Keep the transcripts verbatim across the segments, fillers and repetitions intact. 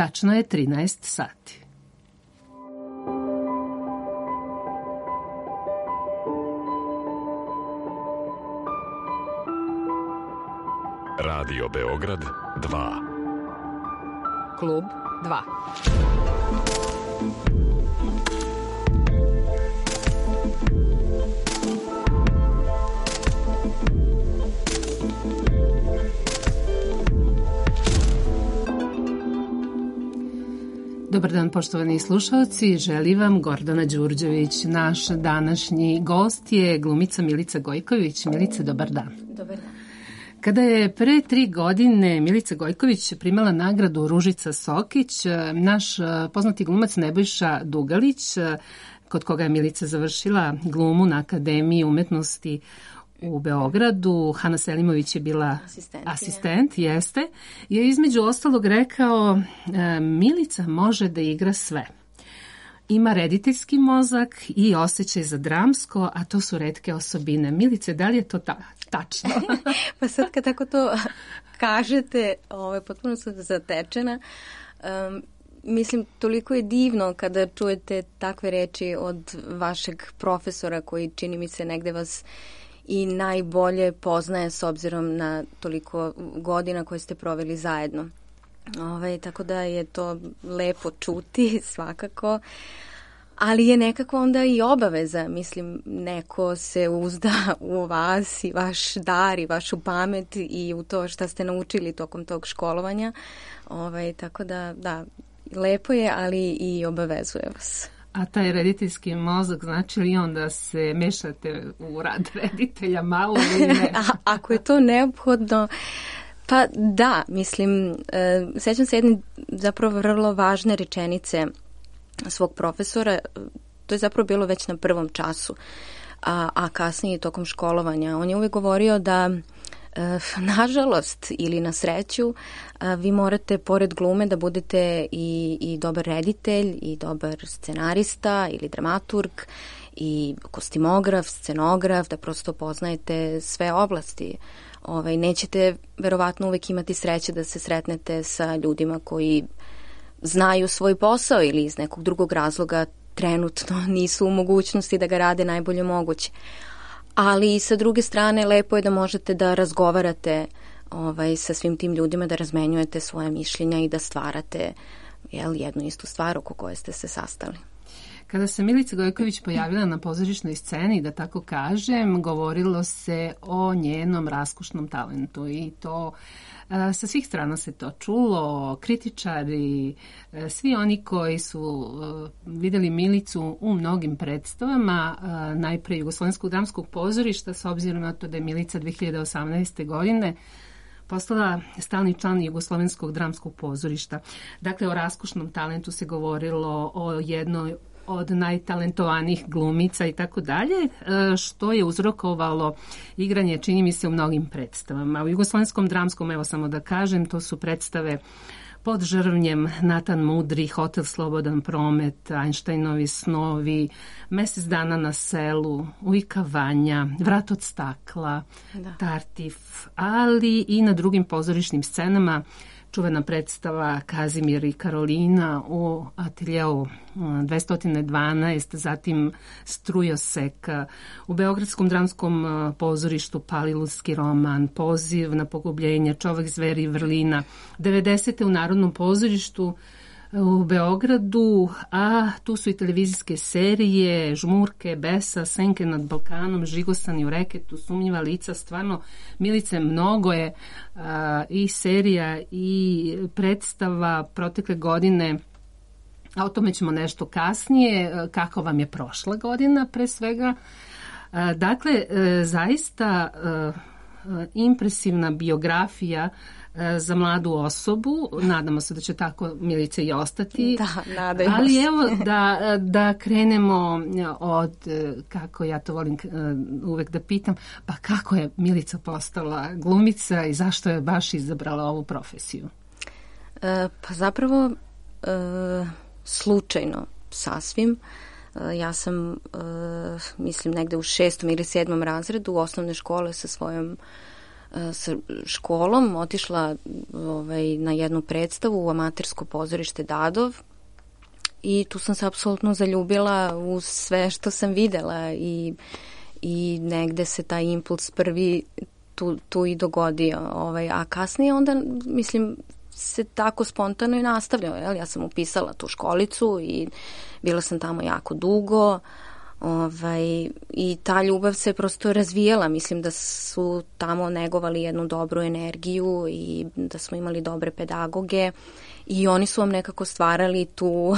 tačno je trinaest sati. Radio Beograd dva. Klub dva. Dobar dan, poštovani slušalci, želi vam Gordana Đurđević. Naš današnji gost je glumica Milica Gojković. Milice, dobar dan. Dobar dan. Kada je pre tri godine Milica Gojković primala nagradu Ružica Sokić, naš poznati glumac Nebojša Dugalić, kod koga je Milica završila glumu na Akademiji umetnosti u Beogradu, Hana Selimović je bila asistent, jeste, je između ostalog rekao, Milica može da igra sve. Ima rediteljski mozak i osjećaj za dramsko, a to su retke osobine. Milice, da li je to ta, tačno? Pa sad kad tako to kažete, ovaj, potpuno sam zatečena. Um, mislim, toliko je divno kada čujete takve reči od vašeg profesora koji čini mi se negde vas i najbolje poznaje s obzirom na toliko godina koje ste proveli zajedno. Ove, tako da je to lepo čuti svakako, ali je nekako onda i obaveza. Mislim, neko se uzda u vas i vaš dar i vašu pamet i u to šta ste naučili tokom tog školovanja. Ove, tako da, da, lepo je, ali i obavezuje vas. A taj rediteljski mozak, znači li on da se mešate u rad reditelja malo ili ne? A, ako je to neophodno, pa da, mislim, e, sećam se jedne zapravo vrlo važne rečenice svog profesora, to je zapravo bilo već na prvom času, a, a kasnije tokom školovanja. On je uvijek govorio da e, nažalost ili na sreću a, vi morate pored glume da budete i, i dobar reditelj i dobar scenarista ili dramaturg i kostimograf, scenograf, da prosto poznajete sve oblasti. Ovaj, nećete verovatno uvek imati sreće da se sretnete sa ljudima koji znaju svoj posao ili iz nekog drugog razloga trenutno nisu u mogućnosti da ga rade najbolje moguće. Ali sa druge strane lepo je da možete da razgovarate ovaj, sa svim tim ljudima, da razmenjujete svoje mišljenja i da stvarate jel, jednu istu stvar oko koje ste se sastali. Kada se Milica Gojković pojavila na pozorišnoj sceni, da tako kažem, govorilo se o njenom raskošnom talentu i to a, sa svih strana se to čulo, kritičari, a, svi oni koji su a, videli Milicu u mnogim predstavama, a, najpre Jugoslovenskog dramskog pozorišta, s obzirom na to da je Milica dve hiljade osamnaeste. godine postala stalni član Jugoslovenskog dramskog pozorišta. Dakle, o raskošnom talentu se govorilo, o jednoj od najtalentovanijih glumica i tako dalje, što je uzrokovalo igranje, čini mi se, u mnogim predstavama. U Jugoslovenskom dramskom, evo samo da kažem, to su predstave Pod žrvnjem, Natan Mudri, Hotel Slobodan promet, Einsteinovi snovi, Mesec dana na selu, Ujka Vanja, Vrat od stakla, da. Tartif, ali i na drugim pozorišnim scenama čuvena predstava Kazimir i Karolina u ateljeu dvesta dvanaest, zatim Strujosek, u Beogradskom dramskom pozorištu Palilulski roman, Poziv na pogubljenje, Čovek, zver i vrlina, devedesete u Narodnom pozorištu u Beogradu, a tu su i televizijske serije, Žmurke, Besa, Senke nad Balkanom, Žigosani u reketu, Sumnjiva lica, stvarno, Milice, mnogo je a, i serija i predstava protekle godine, a o tome ćemo nešto kasnije, kako vam je prošla godina pre svega. A, dakle, a, zaista a, impresivna biografija za mladu osobu. Nadamo se da će tako Milica i ostati. Da, nadajmo Ali evo da, da krenemo od, kako ja to volim uvek da pitam, pa kako je Milica postala glumica i zašto je baš izabrala ovu profesiju? E, pa zapravo e, slučajno sasvim. E, ja sam, e, mislim, negde u šestom ili sedmom razredu osnovne škole sa svojom sa školom otišla ovaj, na jednu predstavu u amatersko pozorište Dadov i tu sam se apsolutno zaljubila u sve što sam videla i, i negde se taj impuls prvi tu, tu i dogodio. Ovaj, a kasnije onda, mislim, se tako spontano i nastavljao. Jel? Ja sam upisala tu školicu i bila sam tamo jako dugo. Ovaj, i ta ljubav se prosto razvijela. Mislim da su tamo negovali jednu dobru energiju i da smo imali dobre pedagoge i oni su vam nekako stvarali tu,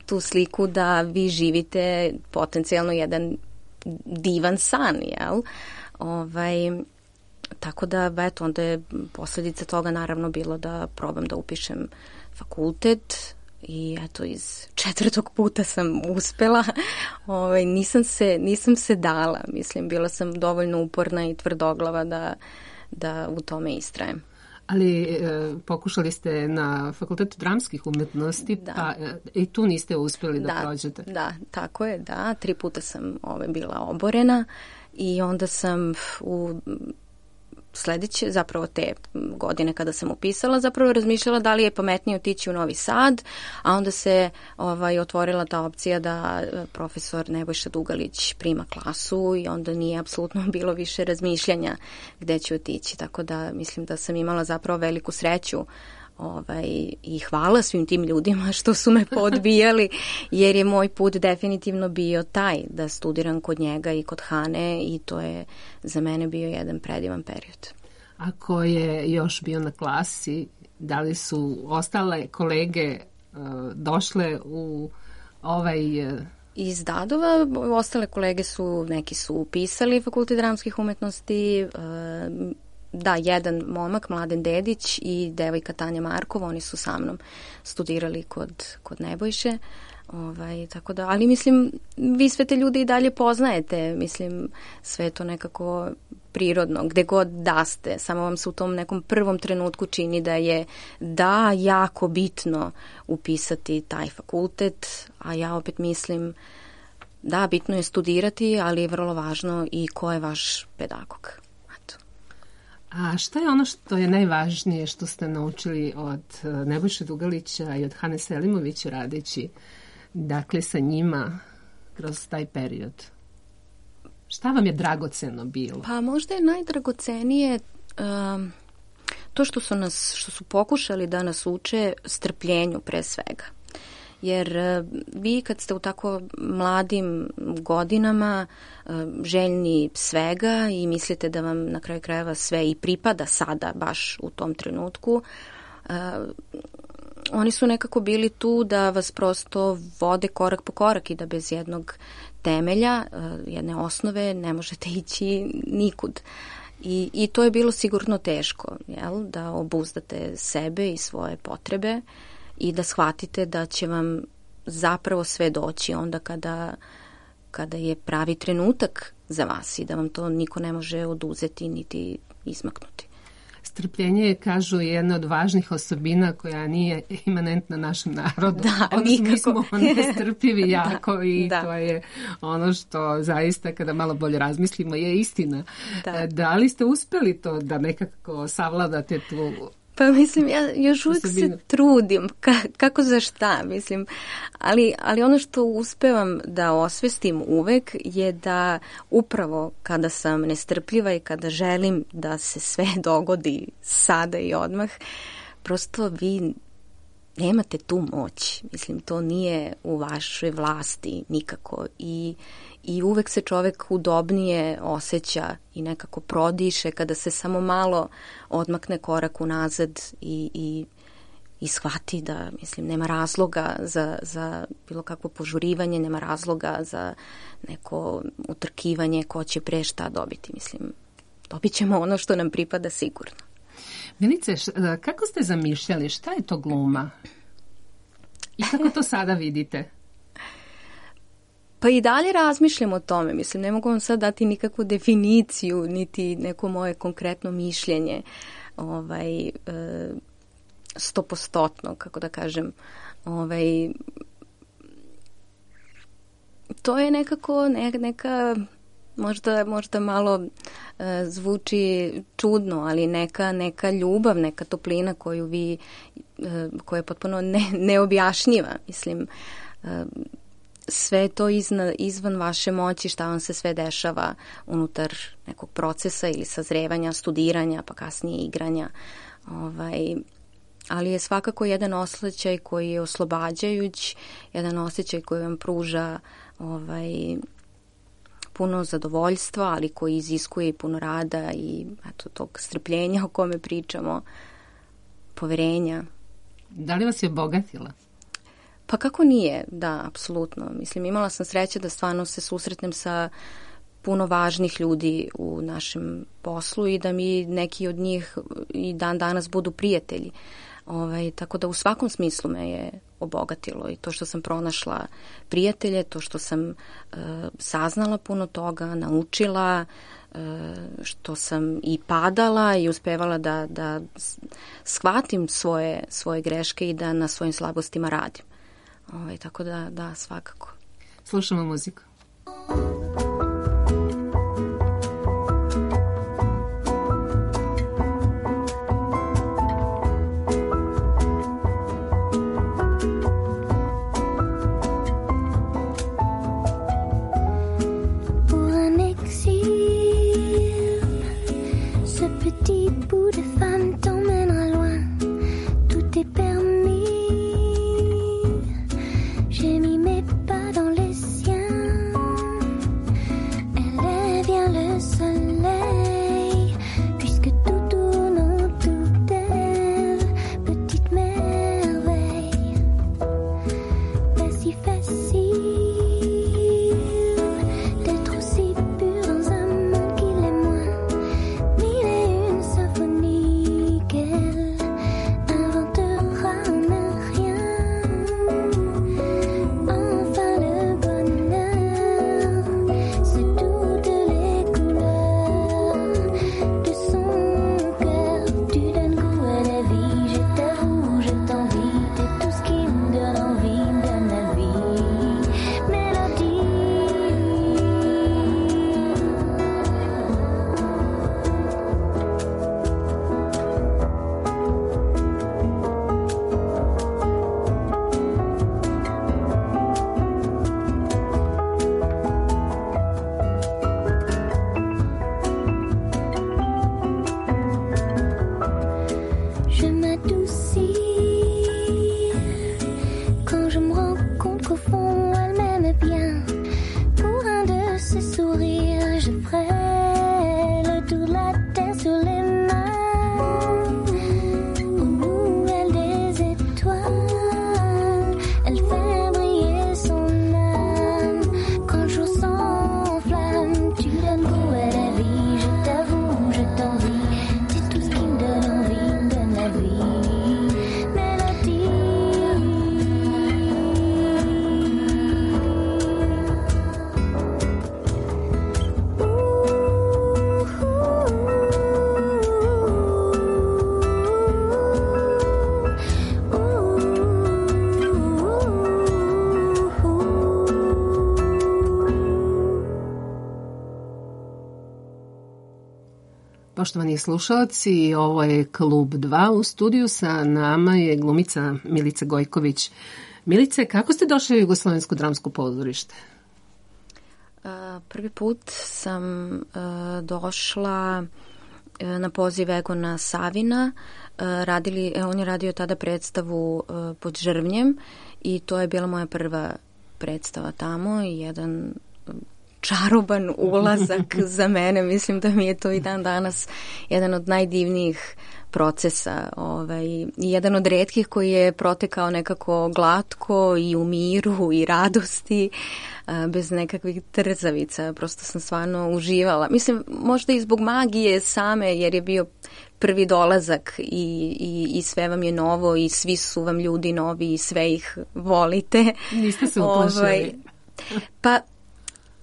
tu sliku da vi živite potencijalno jedan divan san, jel? Ovaj, tako da, eto, onda je posljedica toga naravno bilo da probam da upišem fakultet. I eto, iz četvrtog puta sam uspela. Ovaj, nisam, se, nisam se dala. Mislim, bila sam dovoljno uporna i tvrdoglava da, da u tome istrajem. Ali e, pokušali ste na Fakultetu dramskih umetnosti, da. Pa e, i tu niste uspjeli da, da prođete. Da, tako je, da. Tri puta sam ovaj, bila oborena i onda sam u sledeće, zapravo te godine kada sam upisala, zapravo razmišljala da li je pametnije otići u Novi Sad, a onda se ovaj, otvorila ta opcija da profesor Nebojša Dugalić prima klasu i onda nije apsolutno bilo više razmišljanja gde ću otići, tako da mislim da sam imala zapravo veliku sreću ovaj, i hvala svim tim ljudima što su me podbijali, jer je moj put definitivno bio taj da studiram kod njega i kod Hane i to je za mene bio jedan predivan period. A ko je još bio na klasi? Da li su ostale kolege uh, došle u ovaj... Uh... Iz Dadova ostale kolege su, neki su upisali Fakultet dramskih umetnosti, uh, da, jedan momak, Mladen Dedić i devojka Tanja Markov, oni su sa mnom studirali kod, kod Nebojše. Ovaj, tako da, ali mislim, vi sve te ljude i dalje poznajete, mislim, sve to nekako prirodno, gde god da ste, samo vam se u tom nekom prvom trenutku čini da je da jako bitno upisati taj fakultet, a ja opet mislim da, bitno je studirati, ali je vrlo važno i ko je vaš pedagog. A šta je ono što je najvažnije što ste naučili od Nebojše Dugalića i od Hane Selimović radeći, dakle, sa njima kroz taj period? Šta vam je dragoceno bilo? Pa možda je najdragocenije um, to što su nas, što su pokušali da nas uče strpljenju pre svega. Jer vi kad ste u tako mladim godinama željni svega i mislite da vam na kraju krajeva sve i pripada sada baš u tom trenutku, oni su nekako bili tu da vas prosto vode korak po korak i da bez jednog temelja, jedne osnove ne možete ići nikud. I, i to je bilo sigurno teško, jel? Da obuzdate sebe i svoje potrebe i da shvatite da će vam zapravo sve doći onda kada, kada je pravi trenutak za vas i da vam to niko ne može oduzeti niti izmaknuti. Strpljenje je, kažu, jedna od važnih osobina koja nije imanentna našem narodu. Da, odnosno, mi smo nestrpljivi jako da, i da. To je ono što zaista kada malo bolje razmislimo je istina. Da, da li ste uspeli to da nekako savladate tu... Pa mislim, ja još uvijek se trudim, ka, kako za šta, mislim, ali, ali ono što uspevam da osvestim uvek je da upravo kada sam nestrpljiva i kada želim da se sve dogodi sada i odmah, prosto vi nemate tu moć, mislim, to nije u vašoj vlasti nikako i I uvek se čovek udobnije osjeća i nekako prodiše kada se samo malo odmakne korak unazad i, i, i shvati da, mislim, nema razloga za, za bilo kakvo požurivanje, nema razloga za neko utrkivanje ko će pre šta dobiti. Mislim, dobit ćemo ono što nam pripada sigurno. Milice, kako ste zamišljali? Šta je to gluma? I kako to sada vidite? Pa i dalje razmišljam o tome. Mislim, ne mogu vam sad dati nikakvu definiciju, niti neko moje konkretno mišljenje ovaj, stopostotno, kako da kažem. Ovaj, to je nekako ne, neka možda, možda malo uh, zvuči čudno, ali neka, neka ljubav, neka toplina koju vi, uh, koja je potpuno ne, neobjašnjiva. Mislim, uh, sve to izna, izvan vaše moći, šta vam se sve dešava unutar nekog procesa ili sazrevanja, studiranja, pa kasnije igranja. Ovaj, ali je svakako jedan osjećaj koji je oslobađajuć, jedan osjećaj koji vam pruža ovaj, puno zadovoljstva, ali koji iziskuje i puno rada i eto, tog strpljenja o kome pričamo, poverenja. Da li vas je obogatila? Pa kako nije, da, apsolutno. Mislim, imala sam sreće da stvarno se susretnem sa puno važnih ljudi u našem poslu i da mi neki od njih i dan danas budu prijatelji. Ovaj, tako da u svakom smislu me je obogatilo i to što sam pronašla prijatelje, to što sam uh, saznala puno toga, naučila, uh, što sam i padala i uspevala da, da shvatim svoje, svoje greške i da na svojim slabostima radim. Ovaj, tako da, da, svakako. Slušamo muziku. Poštovani slušalci, ovo je Klub dva. U studiju sa nama je glumica Milica Gojković. Milice, kako ste došli u Jugoslovensko dramsko pozorište? Prvi put sam došla na poziv Egona Savina. Radili, on je radio tada predstavu Pod žrvnjem i to je bila moja prva predstava tamo i jedan čaroban ulazak za mene. Mislim da mi je to i dan danas jedan od najdivnijih procesa ovaj, i jedan od retkih koji je protekao nekako glatko i u miru i radosti, bez nekakvih trzavica. Prosto sam stvarno uživala. Mislim, možda i zbog magije same, jer je bio prvi dolazak i, i, i sve vam je novo i svi su vam ljudi novi i sve ih volite. Niste se uplašili? Ovaj, pa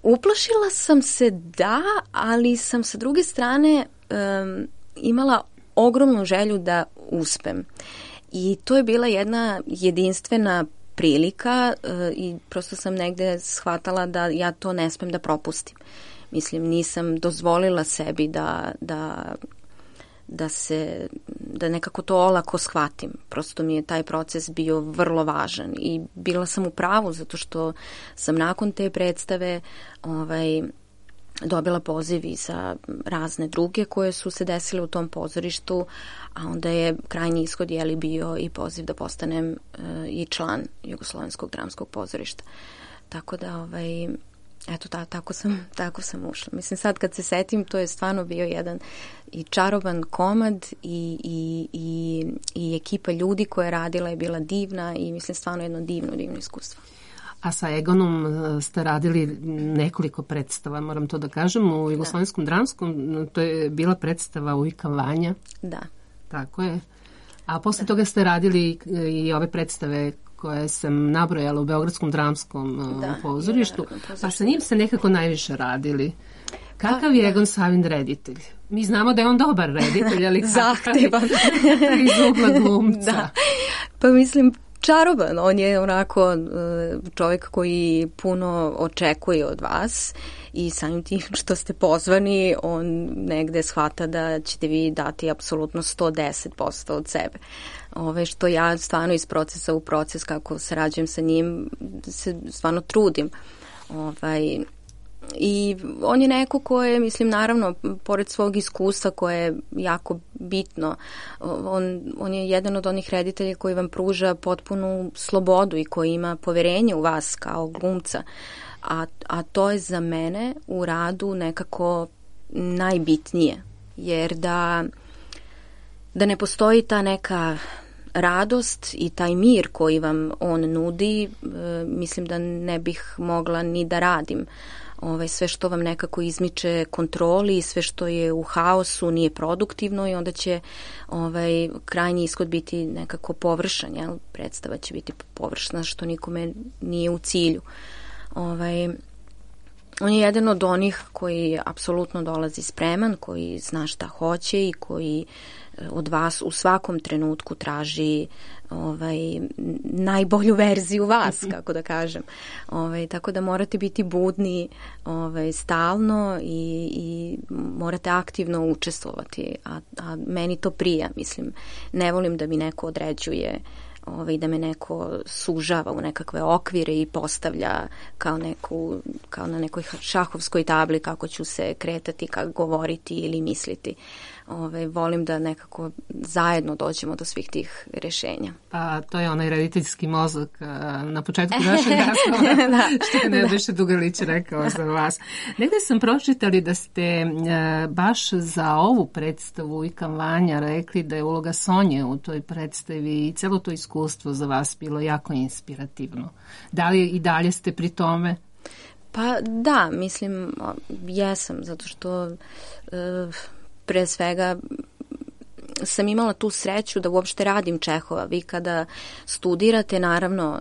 uplašila sam se, da, ali sam sa druge strane um, imala ogromnu želju da uspem. I to je bila jedna jedinstvena prilika uh, i prosto sam negde shvatala da ja to ne smem da propustim. Mislim, nisam dozvolila sebi da, da, da se, da nekako to olako shvatim. Prosto mi je taj proces bio vrlo važan i bila sam u pravu zato što sam nakon te predstave ovaj, dobila poziv i za razne druge koje su se desile u tom pozorištu, a onda je krajnji ishod jeli bio i poziv da postanem uh, i član Jugoslovenskog dramskog pozorišta. Tako da, ovaj, eto, ta, tako, sam, tako sam ušla. Mislim, sad kad se setim, to je stvarno bio jedan i čaroban komad i, i, i, i ekipa ljudi koja je radila je bila divna i mislim stvarno jedno divno, divno iskustvo. A sa Egonom ste radili nekoliko predstava, moram to da kažem, u Jugoslovenskom dramskom, to je bila predstava Ujka Vanja. Da. Tako je. A posle da. toga ste radili i ove predstave koje sam nabrojala u Beogradskom dramskom da, pozorištu, pa sa njim ste nekako najviše radili. Kakav je Egon Savin reditelj? Mi znamo da je on dobar reditelj, ali zahtevan iz ugla glumca. Da. Pa mislim, čaroban. On je onako čovjek koji puno očekuje od vas i samim tim što ste pozvani, on negde shvata da ćete vi dati apsolutno sto deset posto od sebe. Ove, što ja stvarno iz procesa u proces, kako sarađujem sa njim, se stvarno trudim. Ovaj, I on je neko ko je, mislim, naravno, pored svog iskustva koje je jako bitno, on, on je jedan od onih reditelja koji vam pruža potpunu slobodu i koji ima poverenje u vas kao glumca. A, a to je za mene u radu nekako najbitnije. Jer da, da ne postoji ta neka radost i taj mir koji vam on nudi, mislim da ne bih mogla ni da radim. Ovaj, sve što vam nekako izmiče kontroli, sve što je u haosu nije produktivno i onda će ovaj, krajnji ishod biti nekako površan, jel? Predstava će biti površna što nikome nije u cilju. Ovaj, on je jedan od onih koji apsolutno dolazi spreman, koji zna šta hoće i koji od vas u svakom trenutku traži ovaj, najbolju verziju vas, kako da kažem. Ovaj, tako da morate biti budni ovaj, stalno i, i morate aktivno učestvovati. A, a meni to prija, mislim. Ne volim da mi neko određuje, ovaj, da me neko sužava u nekakve okvire i postavlja kao, neku, kao na nekoj šahovskoj tabli kako ću se kretati, kako govoriti ili misliti. Ove, volim da nekako zajedno dođemo do svih tih rješenja. Pa to je onaj rediteljski mozak na početku našeg razgovora, da, što je Nebojša Dugalić rekao za vas. Negde sam pročitali da ste baš za ovu predstavu Ujka Vanja rekli da je uloga Sonje u toj predstavi i celo to iskustvo za vas bilo jako inspirativno. Da li i dalje ste pri tome? Pa da, mislim, jesam, zato što uh, pre svega sam imala tu sreću da uopšte radim Čehova. Vi kada studirate, naravno,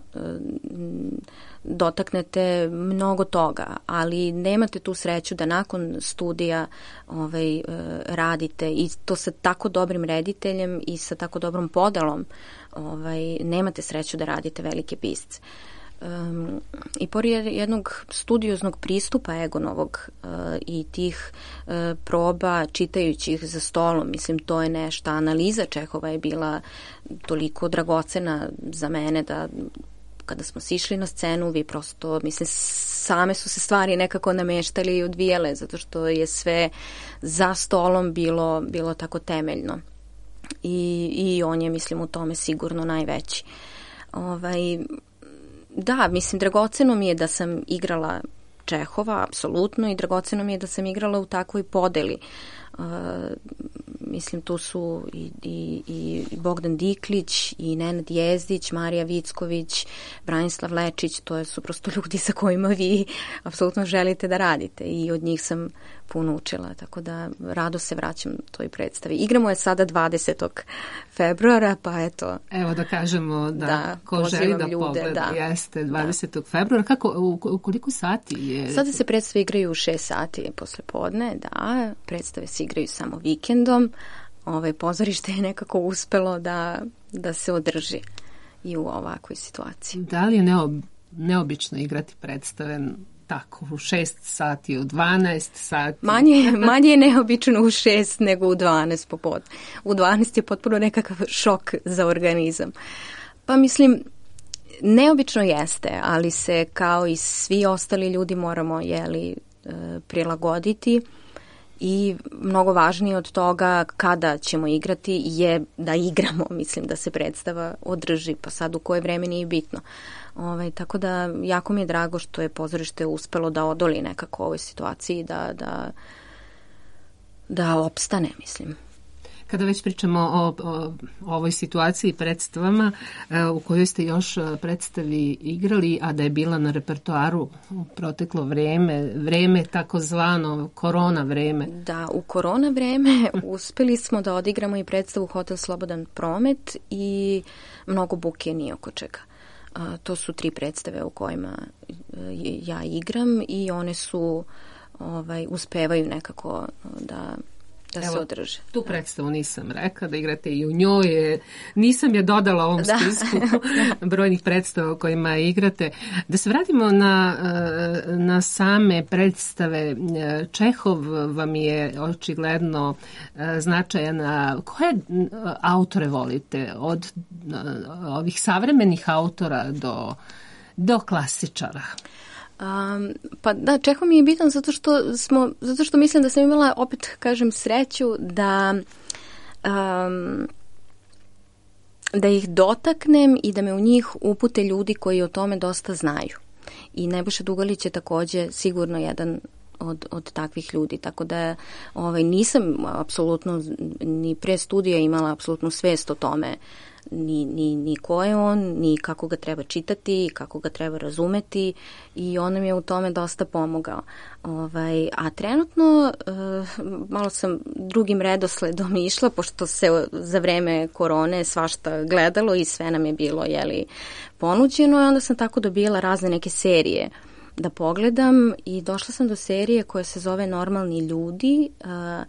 dotaknete mnogo toga, ali nemate tu sreću da nakon studija ovaj, radite i to sa tako dobrim rediteljem i sa tako dobrom podelom, ovaj, nemate sreću da radite velike pisce. Um, i pored jednog studioznog pristupa Egonovog uh, i tih uh, proba čitajući ih za stolom, mislim to je nešto, analiza Čehova je bila toliko dragocena za mene da kada smo sišli na scenu vi prosto, mislim, same su se stvari nekako nameštali i odvijele zato što je sve za stolom bilo, bilo tako temeljno i, i on je, mislim, u tome sigurno najveći. Ovaj Da, mislim, dragoceno mi je da sam igrala Čehova, apsolutno, i dragoceno mi je da sam igrala u takvoj podeli. Uh, mislim, tu su i, i, i Bogdan Diklić, i Nenad Jezdić, Marija Vicković, Branislav Lečić, to su prosto ljudi sa kojima vi apsolutno želite da radite i od njih sam puno učila, tako da rado se vraćam toj predstavi. Igramo je sada dvadesetog februara, pa eto. Evo da kažemo da, da ko želi da ljude, pogleda, da. Jeste dvadesetog februara. Kako, u, u koliko sati je? Sada se predstave igraju u šest sati posle podne, da, predstave se igraju samo vikendom. Ovaj pozorište je nekako uspelo da, da se održi i u ovakvoj situaciji. Da li je neob, neobično igrati predstave tako, u šest sati, u dvanaest sati? Manje, manje je neobično u šest nego u dvanaest popodne. U dvanaest je potpuno nekakav šok za organizam. Pa mislim, neobično jeste, ali se kao i svi ostali ljudi moramo jeli, prilagoditi i mnogo važnije od toga kada ćemo igrati je da igramo, mislim da se predstava održi, pa sad u koje vreme nije bitno. Ovaj, tako da jako mi je drago što je pozorište uspelo da odoli nekako ovoj situaciji, da, da, da opstane, mislim. Kada već pričamo o, o, o ovoj situaciji predstavama u kojoj ste još predstavi igrali, a da je bila na repertoaru u proteklo vreme, vreme takozvano korona vreme. Da, u korona vreme uspeli smo da odigramo i predstavu Hotel Slobodan promet i Mnogo buke ni oko čega. A, to su tri predstave u kojima ja igram i one su ovaj, uspevaju nekako da da se održe. Tu predstavu nisam rekla, da igrate i u njoj. Nisam je dodala ovom da. spisku brojnih predstava u kojima igrate. Da se vratimo na, na same predstave. Čehov vam je očigledno značajan. Koje autore volite? Od ovih savremenih autora do, do klasičara? Um, pa da, Čehov mi je bitan zato što smo, zato što mislim da sam imala, opet kažem, sreću da um, da ih dotaknem i da me u njih upute ljudi koji o tome dosta znaju. I Nebojša Dugalić je takođe sigurno jedan od, od takvih ljudi, tako da ovaj, nisam apsolutno ni pre studija imala apsolutnu svest o tome Ni, ni, ni ko je on, ni kako ga treba čitati, kako ga treba razumeti i on nam je u tome dosta pomogao. Ovaj, a trenutno uh, malo sam drugim redosledom išla, pošto se za vreme korone svašta gledalo i sve nam je bilo jeli, ponuđeno i onda sam tako dobila razne neke serije da pogledam i došla sam do serije koja se zove Normalni ljudi, uh,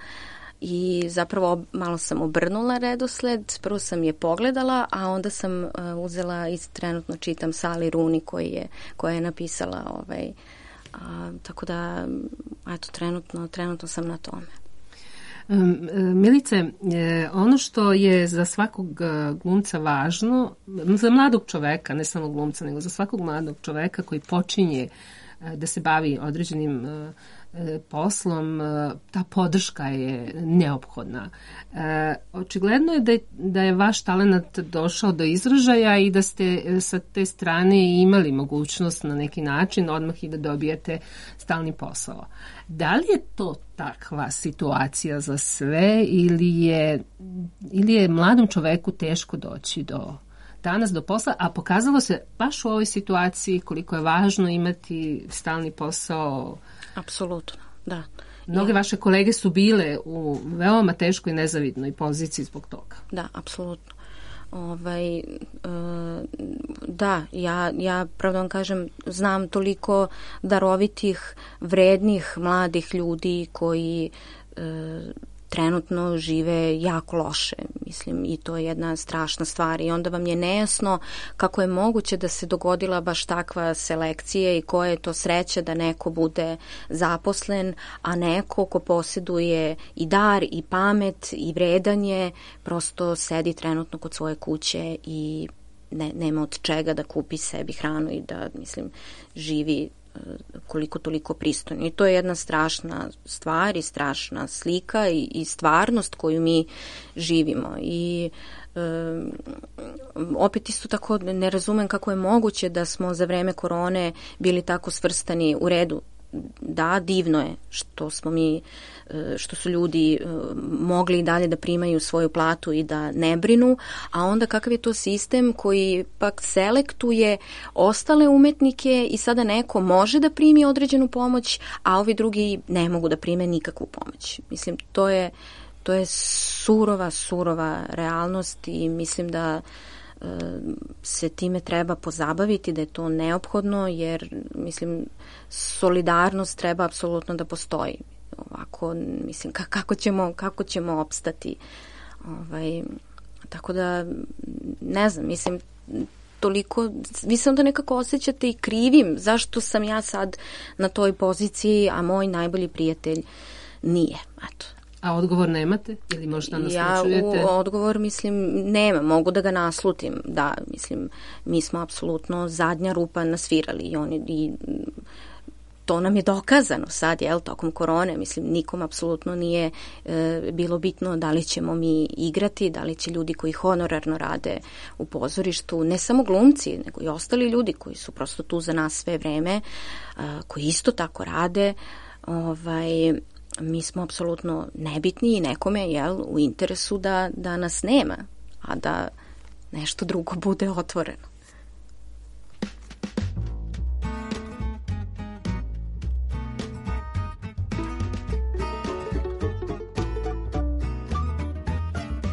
i zapravo malo sam obrnula redosled, prvo sam je pogledala, a onda sam uh, uzela i trenutno čitam Sally Rooney koji je, koja je napisala ovaj, a, tako da eto, trenutno, trenutno sam na tome. Milice, ono što je za svakog glumca važno, za mladog čoveka, ne samo glumca, nego za svakog mladog čoveka koji počinje da se bavi određenim poslom, ta podrška je neophodna. E, očigledno je da, je da je vaš talenat došao do izražaja i da ste sa te strane imali mogućnost na neki način odmah i da dobijete stalni posao. Da li je to takva situacija za sve ili je, ili je mladom čoveku teško doći do danas do posla, a pokazalo se baš u ovoj situaciji koliko je važno imati stalni posao? Apsolutno, da. Mnoge ja. vaše kolege su bile u veoma teškoj i nezavidnoj poziciji zbog toga. Da, apsolutno. Ovaj, da, ja, ja pravda vam kažem, znam toliko darovitih, vrednih, mladih ljudi koji trenutno žive jako loše, mislim, i to je jedna strašna stvar i onda vam je nejasno kako je moguće da se dogodila baš takva selekcija i koja je to sreća da neko bude zaposlen, a neko ko posjeduje i dar i pamet i vredanje prosto sedi trenutno kod svoje kuće i ne, nema od čega da kupi sebi hranu i da, mislim, živi koliko toliko pristojno. I to je jedna strašna stvar i strašna slika i, i stvarnost koju mi živimo. I e, opet isto tako ne razumem kako je moguće da smo za vreme korone bili tako svrstani u redu. Da, divno je što smo mi, što su ljudi mogli i dalje da primaju svoju platu i da ne brinu, a onda kakav je to sistem koji pak selektuje ostale umetnike i sada neko može da primi određenu pomoć, a ovi drugi ne mogu da prime nikakvu pomoć. Mislim, to je, to je surova, surova realnost i mislim da se time treba pozabaviti, da je to neophodno, jer mislim solidarnost treba apsolutno da postoji. Ovako, mislim, kako ćemo, kako ćemo opstati. Ovaj, tako da, ne znam, mislim, toliko, vi se onda nekako osjećate i krivim, zašto sam ja sad na toj poziciji, a moj najbolji prijatelj nije, eto. A odgovor nemate? Ili možda naslučujete? Ja u odgovor, mislim, nema. Mogu da ga naslutim. Da, mislim, mi smo apsolutno zadnja rupa nasvirali i oni i to nam je dokazano sad, jel, tokom korone. Mislim, nikom apsolutno nije e, bilo bitno da li ćemo mi igrati, da li će ljudi koji honorarno rade u pozorištu, ne samo glumci, nego i ostali ljudi koji su prosto tu za nas sve vreme, a, koji isto tako rade, ovaj... mi smo apsolutno nebitni i nekome, jel, u interesu da, da nas nema, a da nešto drugo bude otvoreno.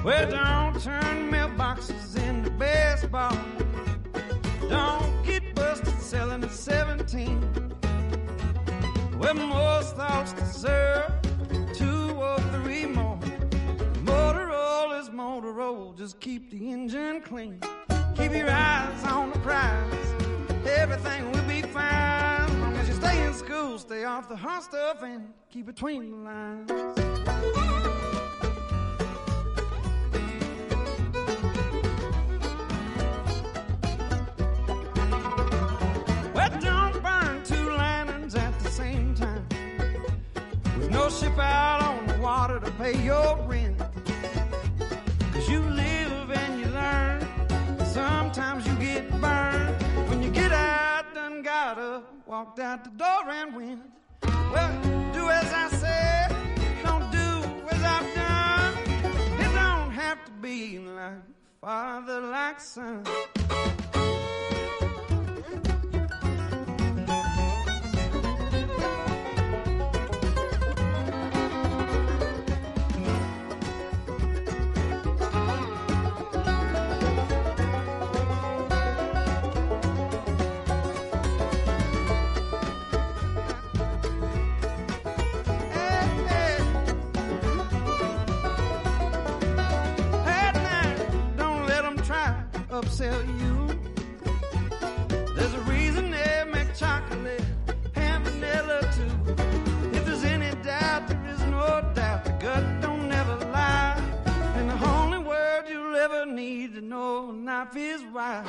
Well, don't turn mailboxes into baseball. Don't get busted selling at seventeen. Well, most thoughts deserve two or three more. Motorola is Motorola, just keep the engine clean. Keep your eyes on the prize, everything will be fine. As long as you stay in school, stay off the hot stuff and keep between the lines. Well, don't burn two lanterns at the same time. With no ship out on the water to pay your rent. Cause you live and you learn. Sometimes you get burned. When you get out, done got up, walked out the door and went. Well, do as I said, don't do as I've done. It don't have to be like father, like son. Upsell you. There's a reason they make chocolate and vanilla too. If there's any doubt, there is no doubt. The gut don't never lie. And the only word you'll ever need to know in life is why.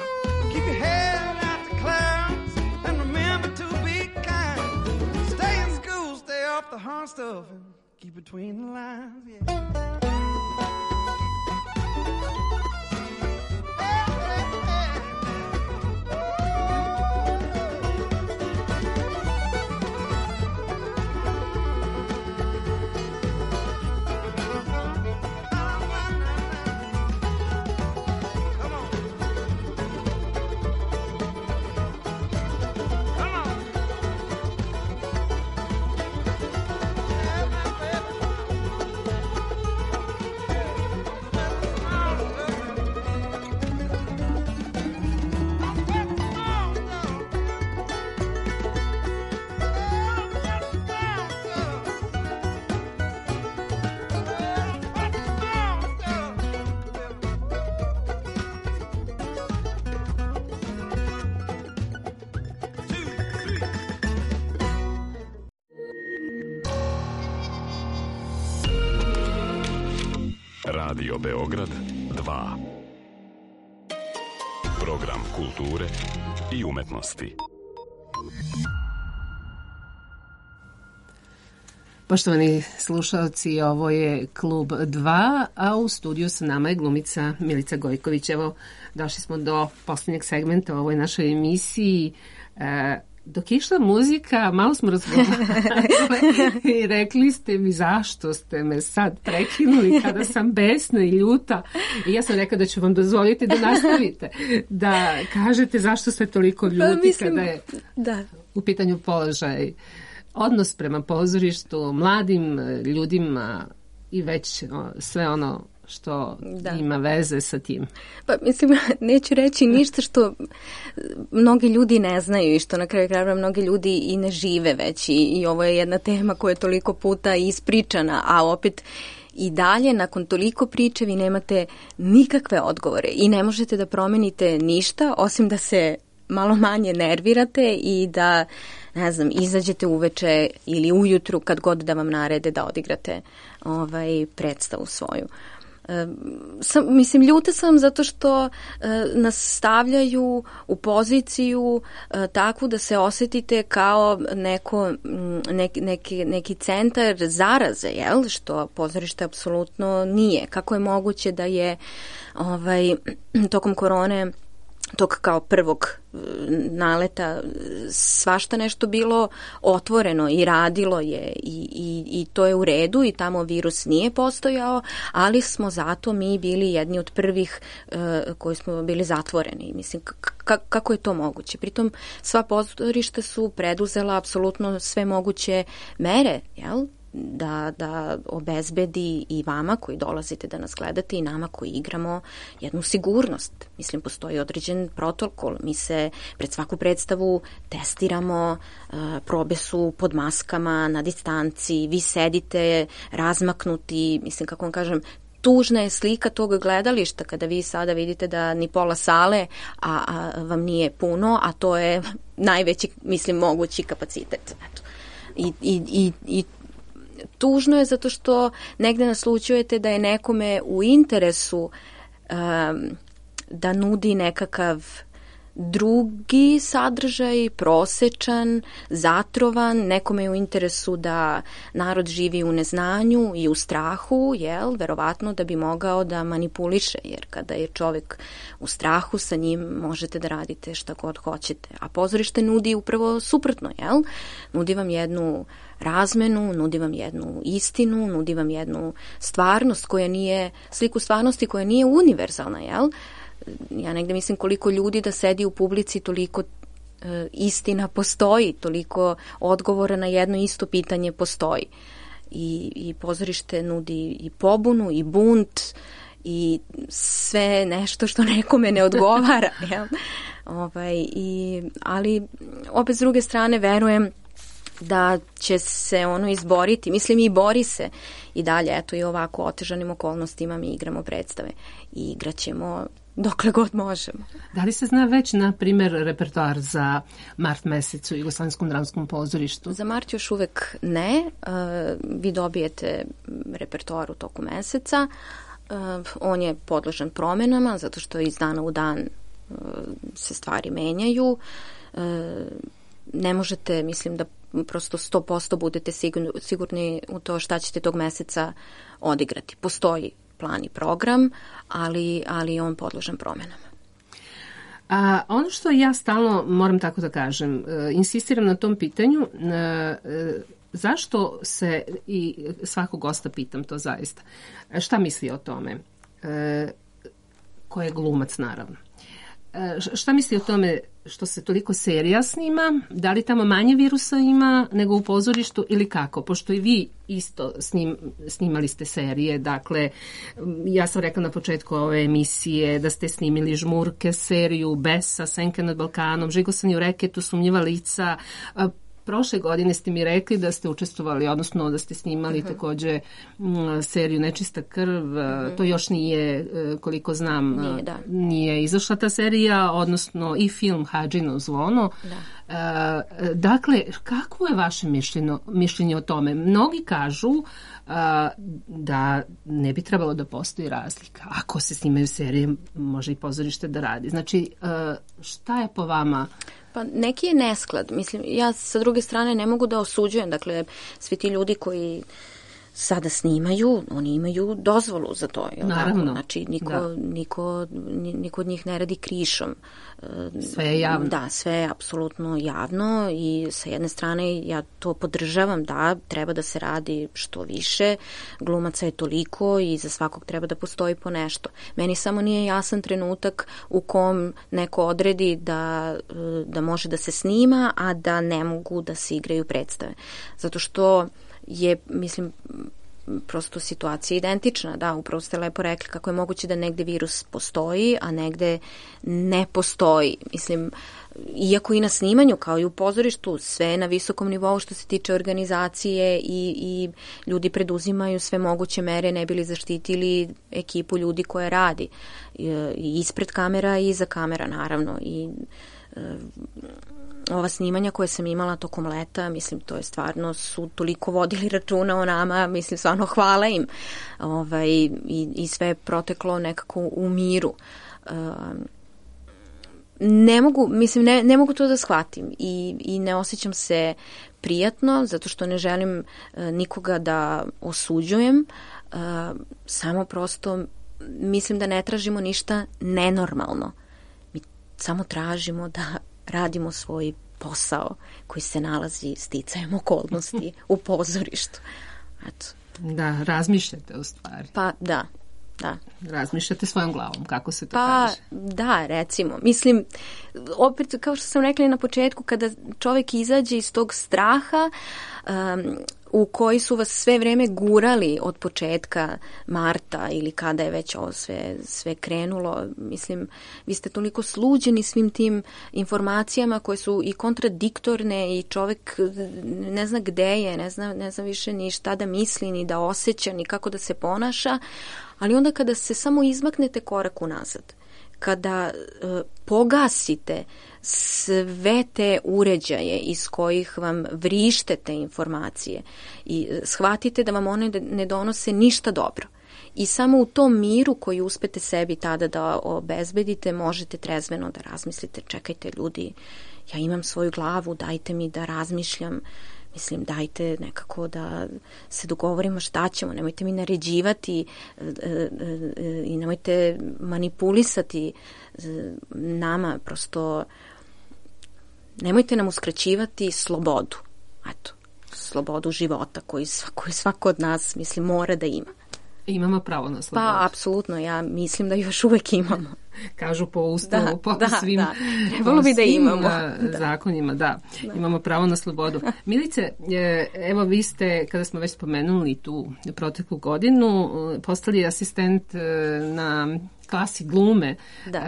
Keep your head out the clouds and remember to be kind. Stay in school, stay off the hard stuff and keep between the lines. Yeah. Radio Beograd dva. Program kulture i umetnosti. Poštovani slušalci, ovo je Klub dva, a u studiju sa nama je glumica Milica Gojković. Evo, došli smo do posljednjeg segmenta u ovoj našoj emisiji. E, Dok je išla muzika, malo smo razgovarali i rekli ste mi zašto ste me sad prekinuli kada sam besna i ljuta. I ja sam rekla da ću vam dozvoliti da nastavite, da kažete zašto ste toliko ljuti pa, mislim, kada je da. u pitanju položaj, odnos prema pozorištu, mladim ljudima i već sve ono što da. ima veze sa tim. Pa mislim, neću reći ništa što mnogi ljudi ne znaju i što na kraju krajeva mnogi ljudi i ne žive već i, i ovo je jedna tema koja je toliko puta ispričana, a opet i dalje nakon toliko priče vi nemate nikakve odgovore i ne možete da promenite ništa osim da se malo manje nervirate i da, ne znam, izađete uveče ili ujutru kad god da vam narede da odigrate ovaj, predstavu svoju. E, sam, mislim, ljuta sam zato što e, nas stavljaju u poziciju e, takvu da se osetite kao neko, neki, neki, neki centar zaraze, jel? Što pozorište apsolutno nije. Kako je moguće da je ovaj, tokom korone tog kao prvog naleta svašta nešto bilo otvoreno i radilo je i, i, i to je u redu i tamo virus nije postojao, ali smo zato mi bili jedni od prvih uh, koji smo bili zatvoreni. Mislim, kako je to moguće? Pritom sva pozorišta su preduzela apsolutno sve moguće mere, jel? Da, da obezbedi i vama koji dolazite da nas gledate i nama koji igramo jednu sigurnost. Mislim, postoji određen protokol. Mi se pred svaku predstavu testiramo, probe su pod maskama, na distanci, vi sedite razmaknuti, mislim, kako vam kažem, tužna je slika tog gledališta kada vi sada vidite da ni pola sale a, a vam nije puno, a to je najveći, mislim, mogući kapacitet. Eto. I, i, i, i tužno je zato što negde naslućujete da je nekome u interesu um, da nudi nekakav drugi sadržaj, prosečan, zatrovan, nekome je u interesu da narod živi u neznanju i u strahu, jel, verovatno da bi mogao da manipuliše, jer kada je čovek u strahu, sa njim možete da radite šta god hoćete. A pozorište nudi upravo suprotno, jel? Nudi vam jednu razmenu, nudi vam jednu istinu, nudi vam jednu stvarnost koja nije, sliku stvarnosti koja nije univerzalna, jel? Ja negde mislim koliko ljudi da sedi u publici, toliko e, istina postoji, toliko odgovora na jedno isto pitanje postoji. I, i pozorište nudi i pobunu, i bunt, i sve nešto što nekome ne odgovara. Jel? Ovaj, i, ali opet s druge strane verujem da će se ono izboriti, mislim i bori se i dalje, eto i ovako otežanim okolnostima mi igramo predstave i igraćemo dokle god možemo. Da li se zna već, na primjer, repertoar za mart mesec u Jugoslavenskom dramskom pozorištu? Za mart još uvek ne. Uh, vi dobijete repertoar u toku meseca. Uh, on je podložan promenama, zato što iz dana u dan uh, se stvari menjaju. Uh, ne možete, mislim da prosto sto posto budete sigurni, sigurni u to šta ćete tog meseca odigrati. Postoji plan i program, ali, ali je on podložan promenama. A ono što ja stalno, moram tako da kažem, insistiram na tom pitanju, zašto se, i svakog gosta pitam to zaista, šta misli o tome? Ko je glumac, naravno. Šta misli o tome što se toliko serija snima? Da li tamo manje virusa ima nego u pozorištu ili kako? Pošto i vi isto snim, snimali ste serije, dakle, ja sam rekla na početku ove emisije da ste snimili Žmurke, seriju Besa, Senke nad Balkanom, Žigosani u reketu, Sumnjiva lica. Prošle godine ste mi rekli da ste učestvovali, odnosno da ste snimali uh-huh. takođe m, seriju Nečista krv. Uh-huh. To još nije, koliko znam, nije, da. nije izašla ta serija, odnosno i film Hadžino zvono. Da. Uh, dakle, kako je vaše mišljenje, mišljenje o tome? Mnogi kažu uh, da ne bi trebalo da postoji razlika. Ako se snimaju serije, može i pozorište da radi. Znači, uh, šta je po vama? Pa neki je nesklad. Mislim, ja sa druge strane ne mogu da osuđujem. Dakle, svi ti ljudi koji sada snimaju, oni imaju dozvolu za to. Jel Naravno. Tako? Znači, niko, da. niko, niko od njih ne radi krišom. Sve je javno. Da, sve je apsolutno javno i sa jedne strane ja to podržavam, da, treba da se radi što više, glumaca je toliko i za svakog treba da postoji po nešto. Meni samo nije jasan trenutak u kom neko odredi da, da može da se snima, a da ne mogu da se igraju predstave. Zato što je, mislim, prosto situacija identična. Da, upravo ste lepo rekli kako je moguće da negde virus postoji, a negde ne postoji. Mislim, iako i na snimanju, kao i u pozorištu, sve je na visokom nivou što se tiče organizacije i, i ljudi preduzimaju sve moguće mere ne bili zaštitili ekipu ljudi koje radi. I ispred kamera i iza kamera, naravno. I ova snimanja koje sam imala tokom leta, mislim, to je stvarno, su toliko vodili računa o nama, mislim, stvarno hvala im. Ovaj, i, i sve je proteklo nekako u miru. Um, ne mogu, mislim, ne, ne mogu to da shvatim i, i ne osjećam se prijatno, zato što ne želim uh, nikoga da osuđujem, uh, samo prosto mislim da ne tražimo ništa nenormalno. Mi samo tražimo da radimo svoj posao koji se nalazi sticajem okolnosti u pozorištu. Eto. Da, razmišljate u stvari. Pa da, da. Razmišljate svojom glavom, kako se to pa, kaže? Da, recimo. Mislim, opet, kao što sam rekla na početku, kada čovjek izađe iz tog straha um, u koji su vas sve vreme gurali od početka marta ili kada je već ovo sve, sve krenulo. Mislim, vi ste toliko sluđeni svim tim informacijama koje su i kontradiktorne i čovjek ne zna gde je, ne zna, ne zna više ni šta da misli, ni da osjeća, ni kako da se ponaša. Ali onda kada se samo izmaknete korak unazad, kada e, pogasite sve te uređaje iz kojih vam vrište te informacije i shvatite da vam one ne donose ništa dobro. I samo u tom miru koji uspete sebi tada da obezbedite, možete trezveno da razmislite, čekajte ljudi, ja imam svoju glavu, dajte mi da razmišljam, mislim, dajte nekako da se dogovorimo šta ćemo, nemojte mi naređivati i nemojte manipulisati nama, prosto nemojte nam uskraćivati slobodu, eto, slobodu života koju svako, svako od nas, mislim, mora da ima. Imamo pravo na slobodu. Pa, apsolutno, ja mislim da još uvek imamo. Kažu po ustavu, da, po da, svim, da. Trebalo bi da imamo. Da. Zakonima, da. da. Imamo pravo na slobodu. Milice, evo vi ste, kada smo već spomenuli tu proteklu godinu, postali asistent na klasi glume da.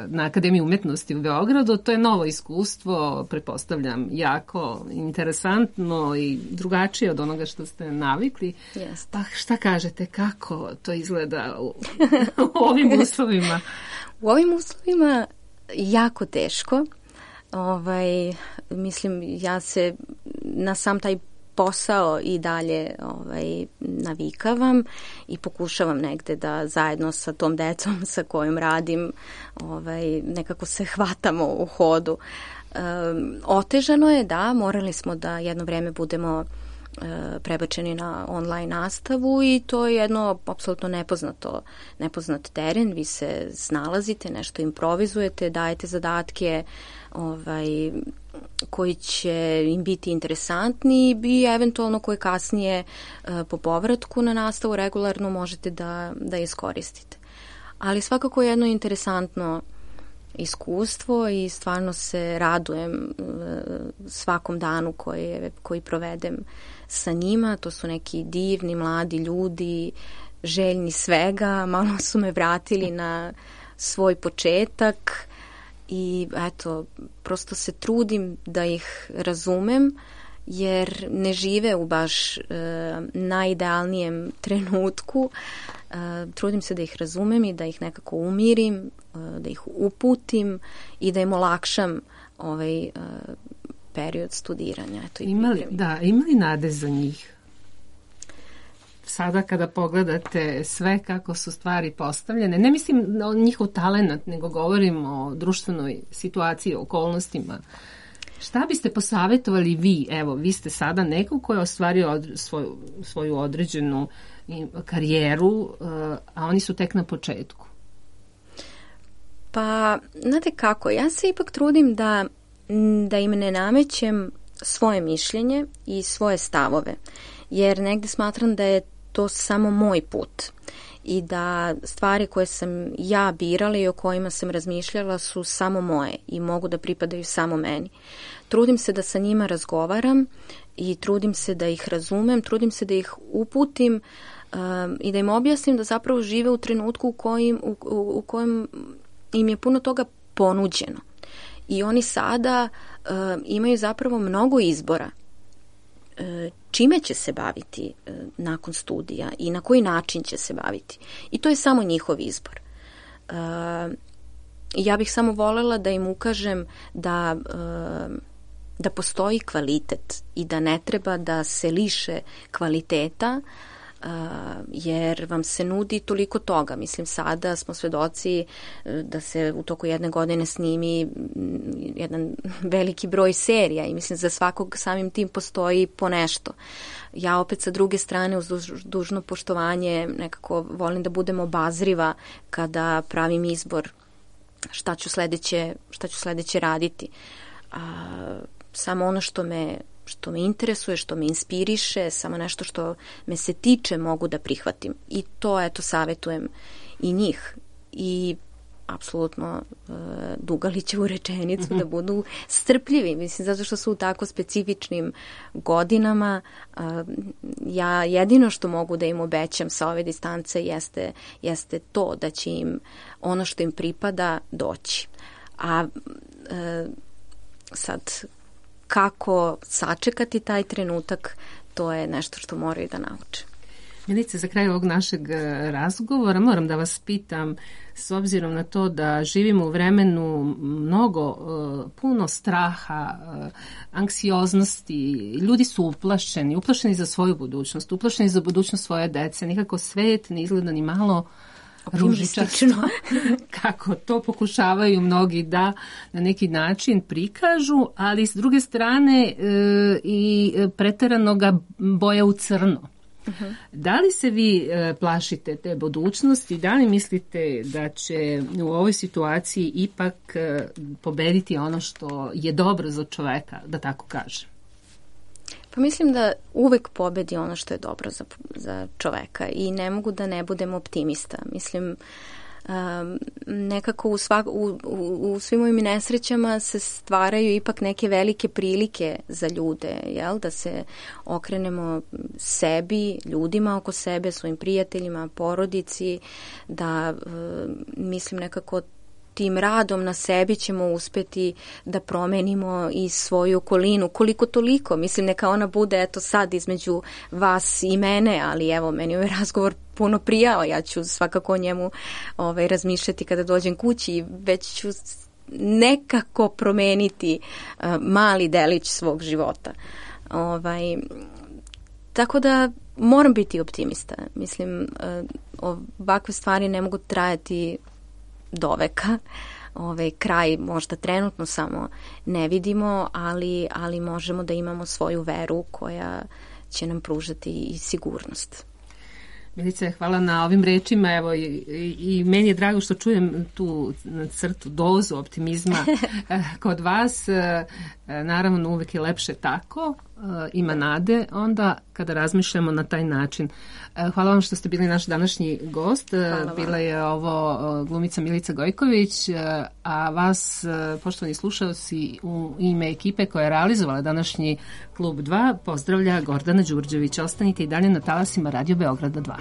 na Akademiji umetnosti u Beogradu. To je novo iskustvo, pretpostavljam, jako interesantno i drugačije od onoga što ste navikli. Yes. Pa šta kažete, kako to izgleda u, u ovim uslovima? U ovim uslovima jako teško. Ovaj, mislim, ja se na sam taj posao i dalje ovaj, navikavam i pokušavam negde da zajedno sa tom decom sa kojom radim ovaj, nekako se hvatamo u hodu. Um, otežano je, da, morali smo da jedno vreme budemo prebačeni na online nastavu i to je jedno apsolutno nepoznato, nepoznat teren. Vi se snalazite, nešto improvizujete, dajete zadatke ovaj, koji će im biti interesantni i eventualno koje kasnije po povratku na nastavu regularno možete da, da iskoristite. Ali svakako je jedno interesantno iskustvo i stvarno se radujem svakom danu koji, koji provedem sa njima. To su neki divni, mladi ljudi, željni svega, malo su me vratili na svoj početak i eto, prosto se trudim da ih razumem, jer ne žive u baš e, najidealnijem trenutku. E, trudim se da ih razumem i da ih nekako umirim, e, da ih uputim i da im olakšam ovaj e, period studiranja. Eto, imali, da, imali nade za njih? Sada kada pogledate sve kako su stvari postavljene, ne mislim o njihov talent, nego govorim o društvenoj situaciji, o okolnostima. Šta biste posavjetovali vi? Evo, vi ste sada neko ko je ostvario od, svoju, svoju određenu karijeru, a oni su tek na početku. Pa, znate kako, ja se ipak trudim da, da im ne namećem svoje mišljenje i svoje stavove, jer negde smatram da je to samo moj put i da stvari koje sam ja birala i o kojima sam razmišljala su samo moje i mogu da pripadaju samo meni. Trudim se da sa njima razgovaram i trudim se da ih razumem, trudim se da ih uputim um, i da im objasnim da zapravo žive u trenutku u kojem, u, u, u kojem im je puno toga ponuđeno. I oni sada um, imaju zapravo mnogo izbora čime će se baviti nakon studija i na koji način će se baviti. I to je samo njihov izbor. Ja bih samo voljela da im ukažem da, da postoji kvalitet i da ne treba da se liše kvaliteta, jer vam se nudi toliko toga. Mislim, sada smo svedoci da se u toku jedne godine snimi jedan veliki broj serija i mislim za svakog samim tim postoji po nešto. Ja opet sa druge strane uz dužno poštovanje nekako volim da budem obazriva kada pravim izbor šta ću sledeće, šta ću sledeće raditi. A, samo ono što me što me interesuje, što me inspiriše, samo nešto što me se tiče mogu da prihvatim. I to, eto, savjetujem i njih. I apsolutno e, Dugalićevu rečenicu mm-hmm. da budu strpljivi. Mislim, zato što su u tako specifičnim godinama. E, ja jedino što mogu da im obećam sa ove distance jeste, jeste to da će im ono što im pripada doći. A e, sad kako sačekati taj trenutak, to je nešto što moraju da nauče. Milice, za kraj ovog našeg razgovora moram da vas pitam, s obzirom na to da živimo u vremenu mnogo, puno straha, anksioznosti, ljudi su uplašeni, uplašeni za svoju budućnost, uplašeni za budućnost svoje dece, nikako svet ne izgleda ni malo ružičasto, kako to pokušavaju mnogi da na neki način prikažu, ali s druge strane e, i preterano ga boje u crno. Uh-huh. Da li se vi e, plašite te budućnosti? Da li mislite da će u ovoj situaciji ipak e, pobediti ono što je dobro za čoveka, da tako kažem? Pa mislim da uvek pobedi ono što je dobro za, za čoveka i ne mogu da ne budem optimista. Mislim, um, nekako u, svak, u, u, u svim ovim nesrećama se stvaraju ipak neke velike prilike za ljude, jel? Da se okrenemo sebi, ljudima oko sebe, svojim prijateljima, porodici, da um, mislim nekako tim radom na sebi ćemo uspeti da promenimo i svoju okolinu, koliko toliko. Mislim, neka ona bude, eto sad, između vas i mene, ali evo, meni ovaj razgovor puno prijao. Ja ću svakako o njemu ovaj, razmišljati kada dođem kući i već ću nekako promeniti uh, mali delić svog života. Ovaj, tako da moram biti optimista. Mislim, uh, ovakve stvari ne mogu trajati do veka. Ovaj kraj možda trenutno samo ne vidimo, ali, ali možemo da imamo svoju veru koja će nam pružati i sigurnost. Milice, hvala na ovim rečima. Evo, i, i, i meni je drago što čujem tu crtu, dozu optimizma kod vas. Naravno, uvek je lepše tako, ima nade onda kada razmišljamo na taj način. Hvala vam što ste bili naš današnji gost. Bila je ovo glumica Milica Gojković, a vas, poštovani slušalci, u ime ekipe koja je realizovala današnji Klub dva, pozdravlja Gordana Đurđević. Ostanite i dalje na talasima Radio Beograda dva.